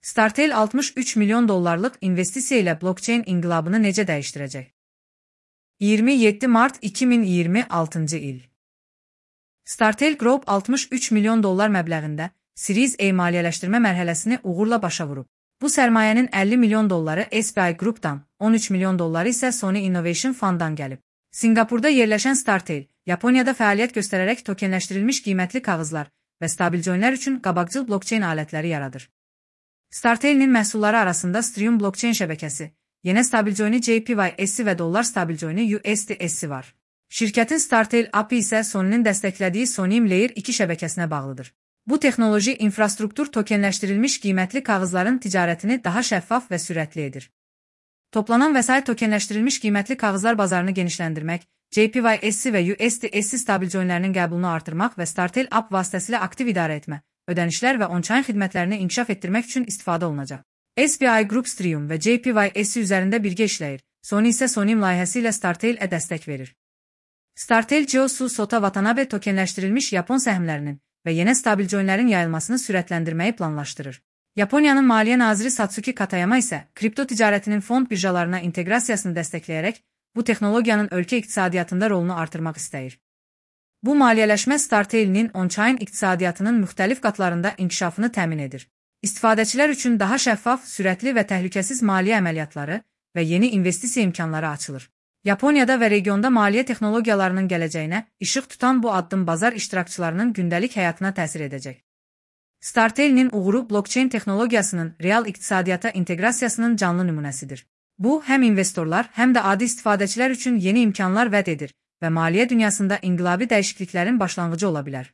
Startel 63 milyon dollarlıq investisiya ilə blockchain inqilabını necə dəyişdirəcək? 27 mart 2026-cı il. Startel Group 63 milyon dollar məbləğində Series A maliyyələşdirmə mərhələsini uğurla başa vurub. Bu sərmayənin 50 milyon dolları SBI Group'dan, 13 milyon dolları isə Sony Innovation Fund'dan gəlib. Singapurda yerləşən Startel, Yaponiyada fəaliyyət göstərərək tokenləşdirilmiş qiymətli kağızlar və stabilcoinlər üçün qabaqcıl blockchain alətləri yaradır. Startel'nin məhsulları arasında Strium blockchain şəbəkəsi, yenə stabilcoini JPY-S və dollar stabilcoini USDS var. Şirkətin Startel API isə Sony'nin dəstəklədiyi Sonium Layer 2 şəbəkəsinə bağlıdır. Bu texnoloji infrastruktur tokenləşdirilmiş qiymətli kağızların ticarətini daha şəffaf və sürətli edir. Toplanan vəsait tokenləşdirilmiş qiymətli kağızlar bazarını genişləndirmək, JPY-S və USDS stabilcoinlərinin qəbulunu artırmaq və Startel App vasitəsilə aktiv idarə etmə, ödənişlər və on-chain xidmətlərini inkişaf etdirmək üçün istifadə olunacaq. SBI Group Strium və JPY-S üzərində birgə işləyir, Sony isə Sonium layihəsi ilə Startel-ə dəstək verir. Startel Jioshu Sota Watanabe tokenləşdirilmiş Yapon səhmlərinin və yenə stabilcoinlərin yayılmasını sürətləndirməyi planlaşdırır. Yaponiyanın Maliyyə naziri Satsuki Katayama isə kripto ticarətinin fond birjalarına inteqrasiyasını dəstəkləyərək bu texnologiyanın ölkə iqtisadiyyatında rolunu artırmaq istəyir. Bu maliyyələşmə Startel'nin on-chain iqtisadiyyatının müxtəlif qatlarında inkişafını təmin edir. İstifadəçilər üçün daha şəffaf, sürətli və təhlükəsiz maliyyə əməliyyatları və yeni investisiya imkanları açılır. Yaponiyada və regionda maliyyə texnologiyalarının gələcəyinə işıq tutan bu addım bazar iştirakçılarının gündəlik həyatına təsir edəcək. Startel'nin uğuru blockchain texnologiyasının real iqtisadiyyata inteqrasiyasının canlı nümunəsidir. Bu, həm investorlar, həm də adi istifadəçilər üçün yeni imkanlar vəd edir və maliyyə dünyasında inqilabi dəyişikliklərin başlanğıcı ola bilər.